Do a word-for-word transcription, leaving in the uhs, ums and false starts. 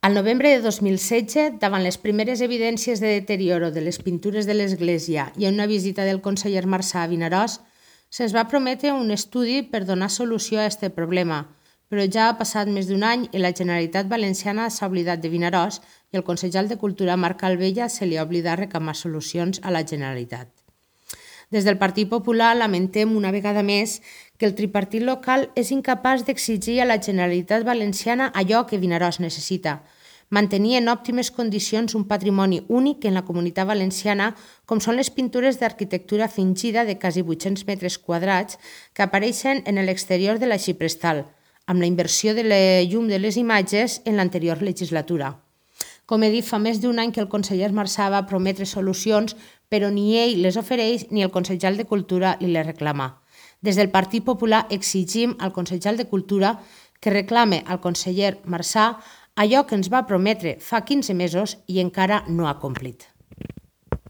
Al novembre de dos mil setze, davant les primeres evidències de deterioro de les pintures de l'església i en una visita del conseller Marçà a Vinaròs, se'ns va prometre un estudi per donar solució a aquest problema, però ja ha passat més d'un any i la Generalitat Valenciana s'ha oblidat de Vinaròs i el consellal de Cultura Marc Calvella se li ha oblidat reclamar solucions a la Generalitat. Des del Partit Popular lamentem una vegada més que el tripartit local és incapaç d'exigir a la Generalitat Valenciana allò que Vinaròs necessita, mantenir en òptimes condicions un patrimoni únic en la Comunitat Valenciana com són les pintures d'arquitectura fingida de quasi vuit-cents metres quadrats que apareixen en l'exterior de la Xiprestal, amb la inversió de la llum de les imatges en l'anterior legislatura. Com he dit, fa més d'un any que el conseller Marçà va prometre solucions, però ni ell les ofereix ni el consellal de Cultura li les reclama. Des del Partit Popular exigim al consellal de Cultura que reclame al conseller Marçà allò que ens va prometre fa quinze mesos i encara no ha complit.